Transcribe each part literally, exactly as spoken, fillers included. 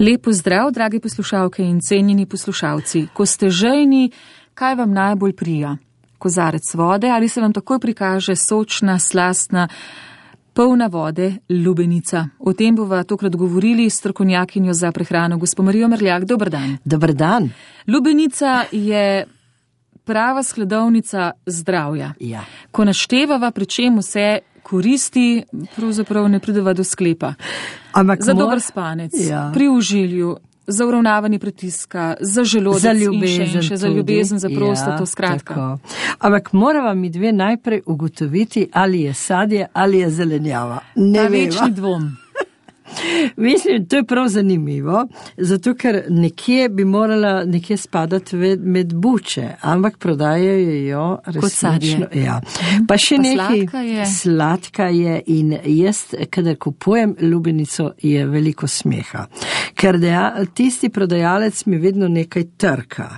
Lepo zdrav, dragi poslušalke in cenjeni poslušalci. Ko ste žejni, kaj vam najbolj prija? Kozarec vode ali se vam takoj prikaže sočna, slastna, polna vode lubenica? O tem bova tokrat govorili s strokovnjakinjo za prehrano, gospo Marijo Merljak. Dober dan. Dober dan. Lubenica je prava skladovnica zdravja. Ja. Ko naštevava, pri čem vse koristi, pravzaprav ne prideva do sklepa. Ampak za mor... dober spanec, ja. Pri užilju, za uravnavanje pritiska, za želodec za ljubezen, in še, še za ljubezen, za prostato, ja, skratka. Tako. Ampak morava mi dve najprej ugotoviti, ali je sadje, ali je zelenjava. Ne večni dvom. Mislim, to je prav zanimivo, zato ker nekje bi morala nekje spadati med buče, ampak prodajajo jo resnično. Ja. Pa še pa nekaj, sladka je. Sladka je in jaz, kadar kupujem lubenico, je veliko smeha. Ker deja, tisti prodajalec mi vedno nekaj trka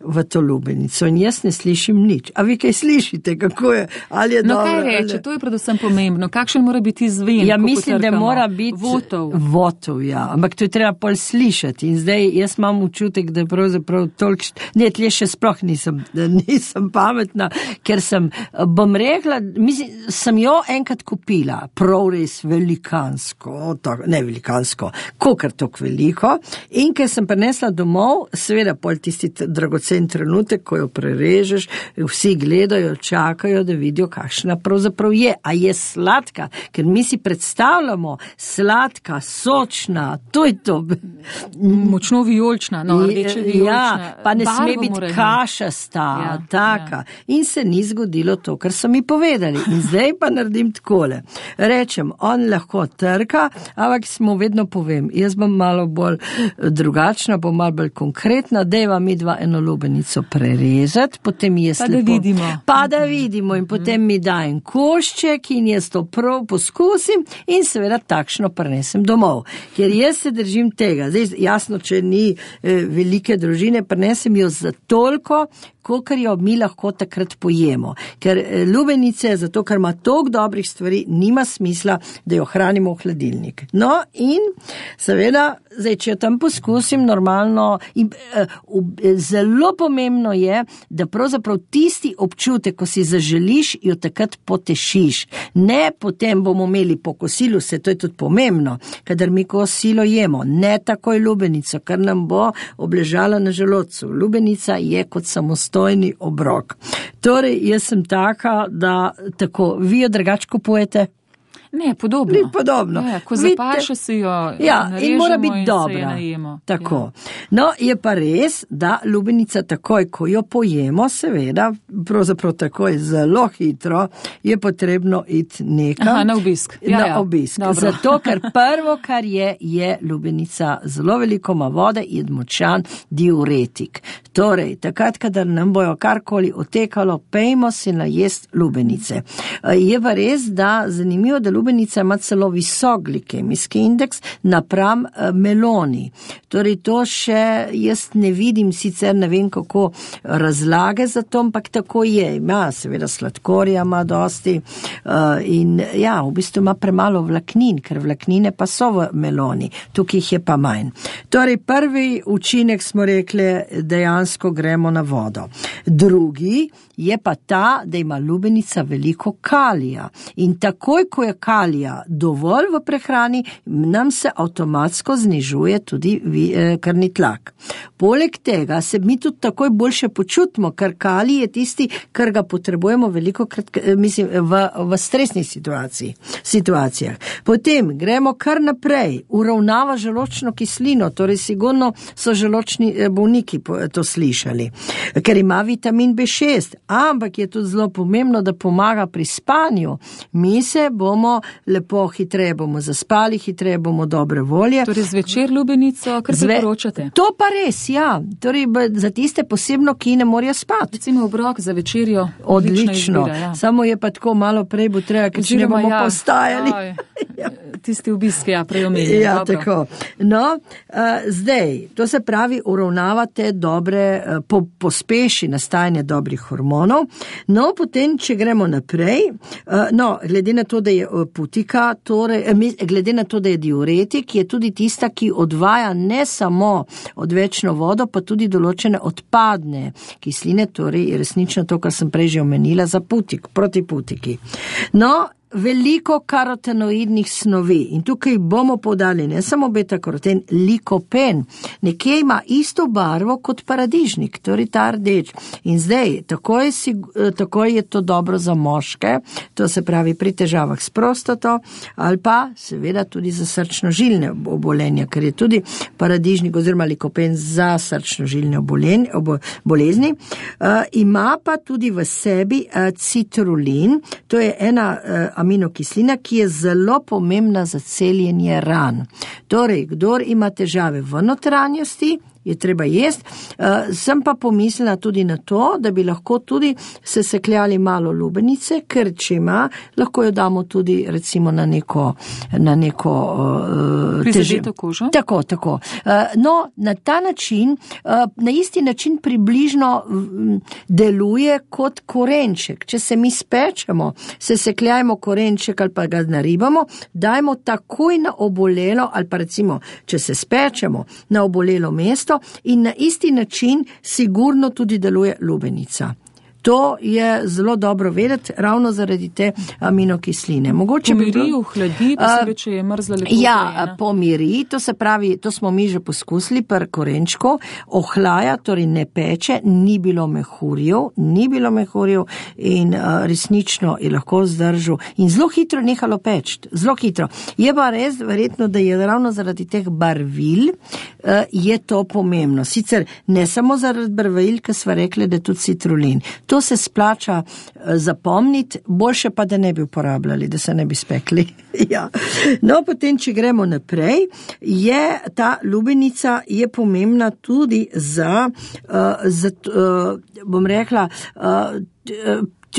v to lubenico in jaz ne slišim nič. A vi kaj slišite, kako je? Ali je no dobro, kaj reče, ali... to je predvsem pomembno. Kakšen mora biti zven? Ja, mislim, da mora biti votov. Votov, ja. Ampak to je treba pol slišati. In zdaj jaz imam občutek, da pravzaprav toliko... Ne, tlje še sploh nisem, nisem pametna, ker sem, bom rekla, mislim, sem jo enkrat kupila, prav res velikansko, tako, ne velikansko, kokar tok veliko. In ker sem prinesla domov, seveda pol tisti dragocen trenutek, ko jo prerežeš, vsi gledajo, čakajo, da vidijo, kakšna pravzaprav je. A je sladka? Ker mi si predstavljamo sladka, sočna, to je to. Močno vijolična, no, rdeče vijolična. Ja, pa ne sme biti kašasta, ja, taka. Ja. In se ni zgodilo to, kar so mi povedali. In zdaj pa naredim takole. Rečem, on lahko trka, ampak smo vedno povem, jaz bom malo bolj drugačna, bom malo bolj konkretna, dejva mi dva eno lubenico prerezati, potem jaz pa lepo... Da vidimo. Pa da vidimo in potem mi da en košček in jaz to prav poskusim in seveda takšno prinesem domov. Ker jaz se držim tega. Zdaj, jasno, če ni eh, velike družine, prinesem jo za toliko, kolikor jo mi lahko takrat pojemo. Ker eh, lubenice, zato ker ima toliko dobrih stvari, nima smisla, da jo hranimo v hladilnik. No in seveda, zdaj, če jo tam poskusim normalno, in, eh, zelo pomembno je, da pravzaprav tisti občutek, ko si zaželiš, jo takrat potešiš. Ne potem bomo imeli po kosilu, se to je tudi pomembno, kadar mi kosilo jemo, ne takoj lubenico, kar nam bo obležala na želodcu. Lubenica je kot samostojni obrok. Torej, jaz sem taka, da tako, vi jo drugače kupujete? Ne, podobno. Ni podobno. Ja, ko zapaše si jo ja, narežemo in mora biti in dobra. se je najemo. Tako. Ja. No, je pa res, da lubenica takoj, ko jo pojemo, seveda, pravzaprav takoj zelo hitro, je potrebno iti nekam. Aha, na obisk. Ja, na ja. obisk. Dobro. Zato, ker prvo, kar je, je lubenica zelo veliko ima vode in močan diuretik. Torej, takrat, kadar nam bojo karkoli otekalo, pejmo si najest lubenice. Je pa res, da zanimivo, da lubenica ima celo visok glikemijski indeks napram meloni. Torej to še jaz ne vidim, sicer ne vem kako razlage za to, ampak tako je. Ima seveda sladkorja, ima dosti uh, in ja, v bistvu ima premalo vlaknin, ker vlaknine pa so v meloni. Tukaj jih je pa manj. Torej prvi učinek smo rekli, dejansko gremo na vodo. Drugi je pa ta, da ima lubenica veliko kalija. In takoj, ko je kalija dovolj v prehrani, nam se avtomatsko znižuje tudi krvni tlak. Poleg tega se mi tudi takoj boljše počutimo, ker kalij je tisti, kar ga potrebujemo veliko krat, mislim, v, v stresnih situaciji, situacijah. Potem gremo kar naprej, uravnava želodčno kislino, torej sigurno so želodčni bolniki to slišali, ker ima vitamin B šest, ampak je tudi zelo pomembno, da pomaga pri spanju. Mi se bomo lepo hitreje bomo zaspali, hitreje bomo dobre volje. Torej zvečer lubenico, kar se poročate. To pa res, ja. Torej, za tiste posebno, ki ne morajo spati. Recimo obrok za večerjo. Odlično. Izbira, ja. Samo je pa tako malo prej bo treba, ker če ne bomo ja. postajali. Ja. Tisti obiski, ja, prej omenjeni. Ja, dobro. Tako. No, uh, zdaj, to se pravi, uravnavate dobre, uh, po, pospeši nastajanje dobrih hormonov. No, potem, če gremo naprej, uh, no, glede na to, da je putika, torej, eh, glede na to, da je diuretik, je tudi tista, ki odvaja ne samo odvečno vodo, pa tudi določene odpadne kisline, torej resnično to, kar sem prej že omenila, za putik, proti putiki. No, veliko karotenoidnih snovi in tukaj bomo podali ne samo beta-karoten, likopen, nekje ima isto barvo kot paradižnik, torej ta rdeč. In zdaj, tako je, tako je to dobro za moške, to se pravi pri težavah s prostato ali pa seveda tudi za srčno-žilne obolenja, ker je tudi paradižnik oziroma likopen za srčno-žilne bolezni. Uh, ima pa tudi v sebi uh, citrulin, to je ena uh, aminokislina, ki je zelo pomembna za celjenje ran. Torej, kdor ima težave v notranjosti, je treba jesti. Uh, sem pa pomislila tudi na to, da bi lahko tudi se sekljali malo lubenice, ker če ima, lahko jo damo tudi recimo na neko, na neko uh, prizadeto kožo. Tako, tako. Uh, no, na ta način, uh, na isti način približno um, deluje kot korenček. Če se mi spečemo, se sekljajmo korenček ali pa ga naribamo, dajmo takoj na obolelo ali pa recimo, če se spečemo na obolelo mesto, in na isti način sigurno tudi deluje lubenica. To je zelo dobro vedeti, ravno zaradi te aminokisline. Mogoče pomiri, bi bilo, ohladi, posebej, če je mrzla lepo. Ja, prejena. pomiri, to se pravi, to smo mi že poskusili pri korenčku, ohlaja, torej ne peče, ni bilo mehurjev, ni bilo mehurjev in uh, resnično je lahko zdržal in zelo hitro nehalo peč, zelo hitro. Je pa res verjetno, da je ravno zaradi teh barvil uh, je to pomembno. Sicer ne samo zaradi barvil, ker sva rekli, da je tudi citrulin. To se splača zapomniti, boljše pa, da ne bi uporabljali, da se ne bi spekli. Ja. No, potem, če gremo naprej, je ta lubenica je pomembna tudi za, uh, za uh, bom rekla, uh,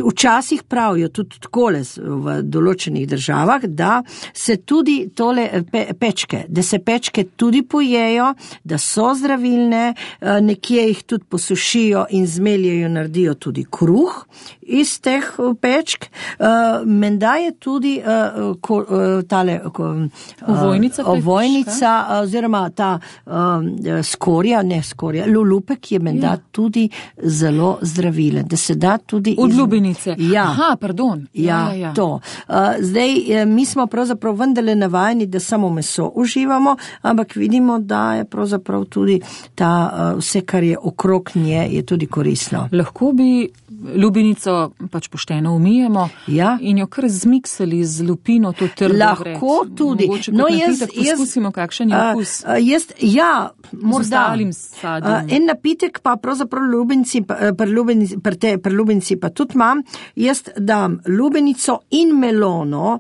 včasih pravijo tudi takole v določenih državah, da se tudi tole pe, pečke, da se pečke tudi pojejo, da so zdravilne, nekje jih tudi posušijo in zmeljajo, naredijo tudi kruh iz teh pečk. Menda je tudi tale ovojnica, ovojnica oziroma ta skorja, ne skorja, lulupek je menda ja. tudi zelo zdravilen, da se da tudi od lubenice. Ja. Aha, pardon. Ja, ja, ja. to. Zdaj, mi smo pravzaprav vendarle navajeni, da samo meso uživamo, ampak vidimo, da je pravzaprav tudi ta, vse, kar je okrog nje, je tudi koristno. Lahko bi lubenico pač pošteno umijemo ja. in jo kar zmiksali z lupino, to trdo vred. Lahko tudi. Mogoče no, jaz, poskusimo, kakšen je okus. Uh, jaz, ja, morda. Uh, en napitek pa pravzaprav lubenci, pri lubenci, pri lubenci pa tudi imam, jaz dam lubenico in melono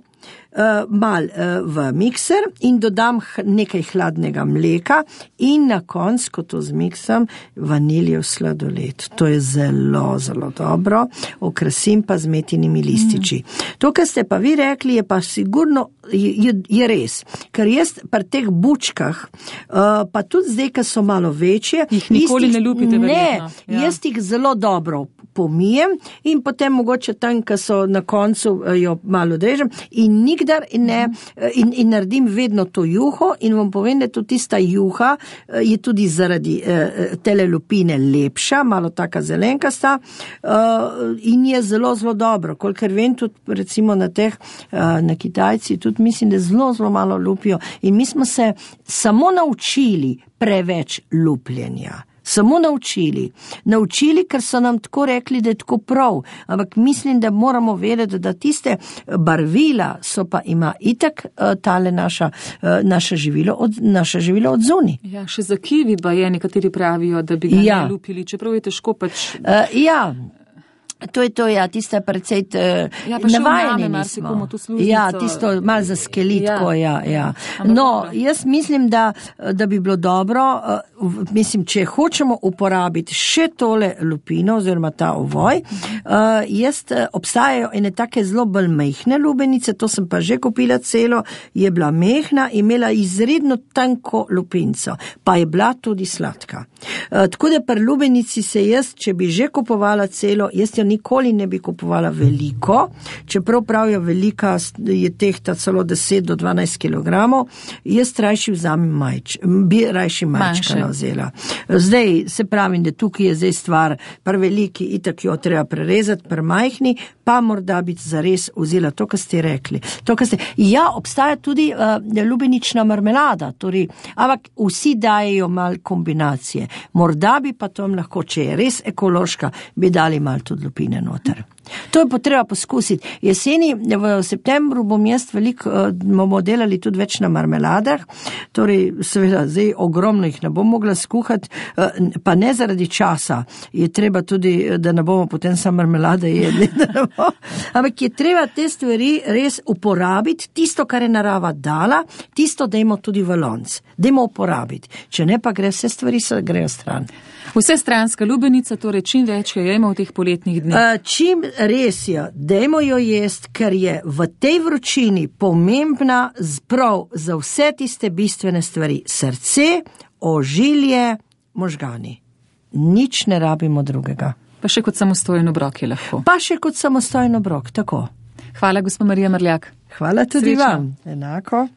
Uh, mal uh, v mikser in dodam nekaj hladnega mleka in na konc, ko to zmiksam, vaniljev sladoled. To je zelo, zelo dobro. Okrasim pa z metinimi lističi. Mm. To, kar ste pa vi rekli, je pa sigurno, je, je res. Ker jaz pri teh bučkah, uh, pa tudi zdaj, ker so malo večje, jih nikoli istih, ne lupite verjetno. Ne, ja. Jaz jih zelo dobro pomijem in potem mogoče tam, ko so na koncu, jo malo drežem in nikdar ne, in, in naredim vedno to juho in vam povem, da tudi tista juha je tudi zaradi eh, tele lupine lepša, malo taka zelenkasta eh, in je zelo, zelo dobro. Kolikor vem, tudi recimo na teh, eh, na Kitajci, tudi mislim, da zelo, zelo malo lupijo in mi smo se samo naučili preveč lupljenja. Samo naučili. Naučili, ker so nam tako rekli, da je tako prav. Ampak mislim, da moramo vedeti, da tiste barvila so pa ima itak tale naša, naša živilo od, naša živilo od zuni. Ja, še za kivi pa je, nekateri pravijo, da bi ga ja. ne lupili, čeprav je težko pač. Uh, ja. To je to, ja, tista precej uh, ja, pa navajeni vname, nismo. To ja, tisto malo za skelitko, ja, ja. ja. Ampak No, dobro. jaz mislim, da, da bi bilo dobro, uh, mislim, če hočemo uporabiti še tole lupino oziroma ta ovoj, uh, jaz uh, obstajajo ene take zelo bolj mehne lubenice, to sem pa že kupila celo, je bila mehna, imela izredno tanko lupinco, pa je bila tudi sladka. Uh, tako da pri lubenici se jaz, če bi že kupovala celo, jaz jo nikoli ne bi kupovala veliko, čeprav pravijo velika je tehta celo deset do dvanajst kilogramov, jaz rajši vzamem majč, bi rajši majčka vzela. Zdaj se pravim, da tukaj je zdaj stvar, pri veliki itak jo treba prerezati, pri majhni pa morda biti zares vzela to, kar ste rekli. To, kar ste, ja, obstaja tudi uh, lubenična marmelada, torej, ampak vsi dajejo mal kombinacije. Morda bi pa tom lahko, če je res ekološka, bi dali mal tudi lupine noter. To je potreba poskusiti. Jeseni, v septembru bom jaz veliko, bomo delali tudi več na marmeladah, torej seveda zdaj ogromno jih ne bom mogla skuhati, pa ne zaradi časa, je treba tudi, da ne bomo potem samo marmelade jedli, ampak je treba te stvari res uporabiti, tisto, kar je narava dala, tisto dajmo tudi v lonc, dajmo uporabiti, če ne pa gre vse stvari, se grejo stran. Vse stranska lubenica, torej čim več jo jemo v teh poletnih dneh. Uh, čim res je, dajmo jo jest, ker je v tej vročini pomembna prav za vse tiste bistvene stvari. Srce, ožilje, možgani. Nič ne rabimo drugega. Pa še kot samostojen obrok je lahko. Pa še kot samostojen obrok, tako. Hvala, gospa Marija Mrljak. Hvala tudi Srečno. vam. Enako.